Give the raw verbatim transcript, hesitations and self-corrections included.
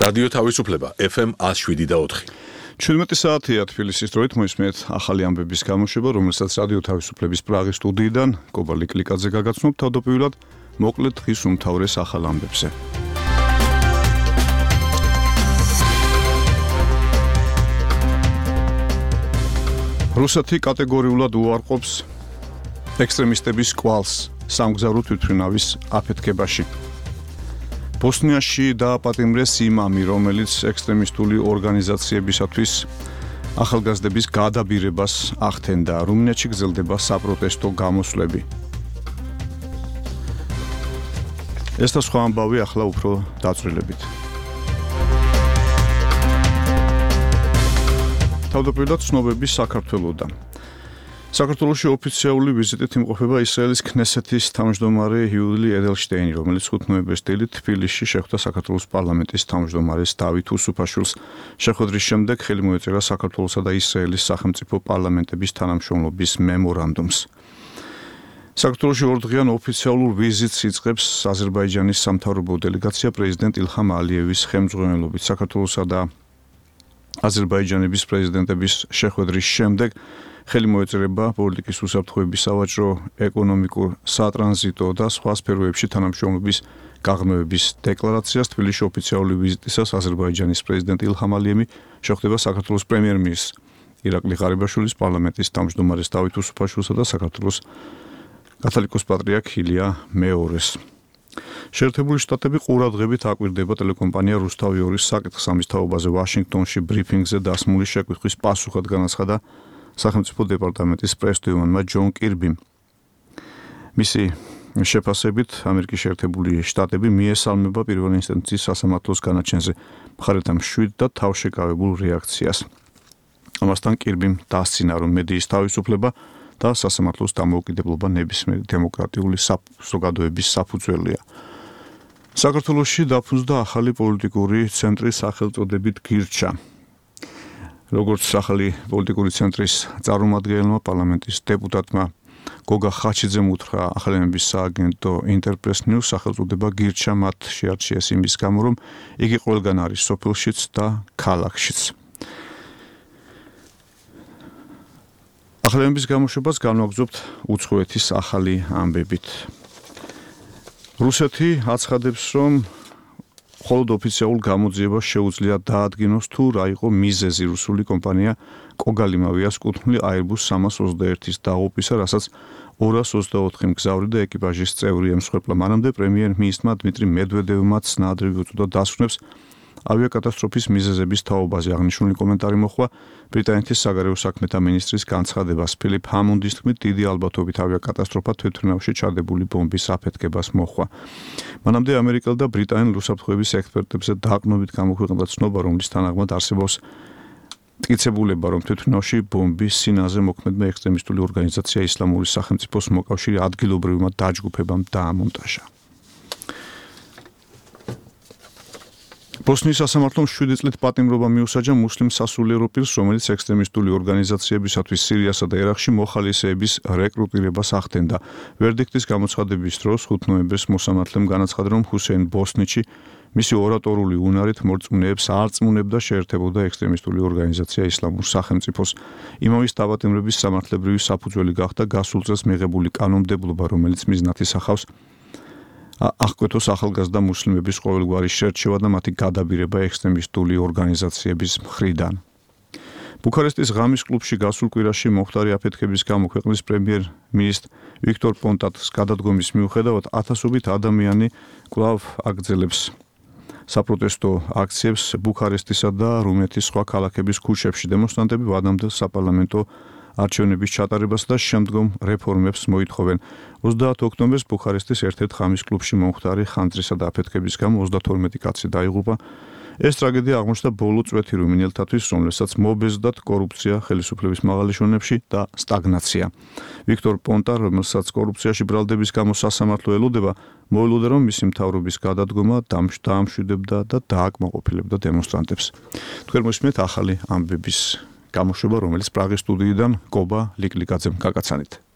რადიო თავისუფლება ეფ ემ one oh seven და four. ჩვიდმეტი საათია თბილისის დროით მოისმენთ ახალი ამბების გამოშვება, რომელსაც რადიო თავისუფლების პრაღის სტუდიიდან კობა ლიკლიკაძე გაგაცნობ. თავდაპირველად მოკლედ დღის უმთავრეს ახალ ამბებზე. რუსეთი კატეგორიულად უარყოფს ექსტრემისტების კვალს სამგზავრო თვითმფრინავის აფეთქებაში. ბოსნიაში დააპატიმრეს იმამი, რომელიც ექსტრემისტული ორგანიზაციებისათვის ახალგაზრდების გადაბირებას ახდენდა. რუმინეთში გრძელდება საპროტესტო გამოსვლები. ეს და სხვა ამბავი ახლა უფრო დაწვრილებით. თავდაპირველად ცნობები საქართველოდან. საქართველოში ოფიციალური ვიზიტით იმყოფება ისრაელის ქნესეთის თავმჯდომარე იული ედელშტეინი, რომელიც ხუთ ნოემბრის დილით თბილისში შეხვდა საქართველოს პარლამენტის თავმჯდომარეს დავით უსუფაშვილს. შეხვედრის შემდეგ ხელი მოეწერა საქართველოსა და ისრაელის სახელმწიფო პარლამენტების თანამშრომლობის მემორანდუმს. საქართველოში ორდღიან ოფიციალურ ვიზიტს იწყებს აზერბაიჯანის სამთავრობო დელეგაცია პრეზიდენტ ილჰამ ალიევის ხელმძღვანელობით. საქართველოსა და აზერბაიჯანების პრეზიდენტების შეხვედრის შემდეგ ხელი მოეწერება პოლიტიკის უსაფრთხოების, სავაჭრო, ეკონომიკურ, სატრანზიტო და სხვა სფეროებში თანამშრომლობის გაღრმავების დეკლარაციას. თბილისში ოფიციალური ვიზიტისას აზერბაიჯანის პრეზიდენტი ილჰამ ალიევი შეხვდება საქართველოს პრემიერ-მინისტრ ირაკლი ღარიბაშვილის, პარლამენტის თავმჯდომარეს დავით უსუფაშვილსა და საქართველოს კათოლიკოს პატრიარქ ილია მეორეს. შეერთებული შტატები ყურადღებით აკვირდება ტელეკომპანია რუსთავი ორის საკითხს. ამის თაობაზე ვაშინგტონში ბრიფინგზე დასმული შეკვითხვის პასუხად განაცხადა სახელმწიფო დეპარტამენტის პრესდივანმა ჯონ კირბიმ. მისი შეფასებით ამერიკის შეერთებული შტატები მიესალმება პირველი ინსტანციის სასამართლოს განაჩენზე მხარეთა მშვიდ და თავშეკავებულ რეაქციას. ამასთან კირბიმ დასცინა, რომ მედიის თავისუფლება და სასამართლოს დამოუკიდებლობა ნებისმიერი დემოკრატიული საზოგადოების საფუძველია. საქართველოში დაფუძნდა ახალი პოლიტიკური ცენტრის სახელწოდებით გირჩა. როგორც ახალი პოლიტიკური ცენტრის წარმომადგენელმა პარლამენტის დეპუტატმა გოგა ხაჩიძემ უთხრა ახალების სააგენტო ინტერპრეს ნიუს, სახელწოდება გირჩა მათ შეარჩიეს იმის გამო, რომ იგი ყველგან არის სოფელშიც და ქალაქშიც. ახალების გამოშვებას განვაგრძობთ უცხოეთის ახალი ამბებით. რუსეთი აცხადებს, რომ მხოლოდ ოფიციალურ გამოძიებას შეუძლია დაადგინოს თუ რა იყო მიზეზი რუსული კომპანია კოგალიმავიას კუთვნილი Airbus სამას ოცდაერთის დაღუპვისა, რასაც ორას ოცდაოთხი მგზავრი და ეკიპაჟის წევრი ემსხვერპლა. მანამდე პრემიერ-მინისტრმა დმიტრი მედვედევმაც ნაადრევი უწოდა დასვენებს ავიაკატასტროფის მიზეზების თაობაზე. აღნიშნული კომენტარი მოჰყვა ბრიტანეთის საგარეო საქმეთა მინისტრის განცხადებას. ფილიპ ჰამუნდის თქმით, დიდი ალბათობით ავიაკატასტროფა თვითმფრინავში ჩადებული ბომბის აფეთქებას მოჰყვა. მანამდე ამერიკელ და ბრიტანელ უსაფრთხოების ექსპერტებზე დაყრდნობით გამოქვეყნდა ცნობა, რომლის თანახმად არსებობს მტკიცებულება, რომ თვითმფრინავში ბომბის სინაზე მოქმედმა ექსტრემისტული ორგანიზაცია ისლამური სახელმწიფოს მოკავშირე ადგილობრივმა დაჯგუფებამ დაამონტაჟა. ბოსნიის სასამართლომ შვიდი წლით პატიმრობა მიუსაჯა მუსლიმ სასულიერო პირს, რომელიც ექსტრემისტული ორგანიზაციებისათვის სირიასა და ერაყში მოხალისეების რეკრუტირებას ახდენდა. ვერდიქტის გამოცხადების დროს ხუთ ნოემბერს მოსამართლემ განაცხადა, რომ ჰუსეინ ბოსნიჩი მისი ორატორული უნარით მორწმუნეებს არწმუნებდა შეერთებოდა ექსტრემისტული ორგანიზაცია ისლამურ სახელმწიფოს. იმამის დაპატიმრების სამართლებრივი საფუძველი გახდა გასულ წელს მიღებული კანონმდებლობა, რომელიც მიზნად ისახავს აღკვეთოს ახალგაზრდა მუსლიმების ყოველგვარი შერჩევა და მათი გადაბირება ექსტრემისტული ორგანიზაციების მხრიდან. ბუქარესტის ღამის კლუბში გასულ კვირაში მომხდარი აფეთქების გამო ქვეყნის პრემიერ-მინისტრ ვიქტორ პონტატს გადადგომის მიუხედავად ათასობით ადამიანი კვლავ აგრძელებს საპროტესტო აქციებს ბუქარესტისა და რუმინეთის სხვა ქალაქების ქუჩებში. დემონსტრანტები ვადამდელ საპარლამენტო არჩევნების ჩატარებას და შემდგომ რეფორმებს მოითხოვენ. ოცდაათი ოქტომბერს ბუქარესტის ერთ-ერთ ღამის კლუბში მომხდარი ხანძრისა და აფეთქების გამო ოცდათორმეტი კაცი დაიღუპა. ეს ტრაგედია აღმოჩნდა ბოლო წვეთი რუმინელთათვის, რომელსაც მობეზდათ კორუფცია ხელისუფლების მაღალი შენებში და სტაგნაცია. ვიქტორ პონტა, რომელსაც კორუფციაში ბრალდების გამო სასამართლო ელოდება, მოელოდა, რომ მისი მთავრობის გადადგომა დაამშვიდებდა და დააკმაყოფილებდა დემონსტრანტებს. თქვენ მოსმენთ ახალი ამბების გამოშვება, რომელიც პრაღის სტუდიიდან კობა ლიკლიკაძემ გაგაცანით.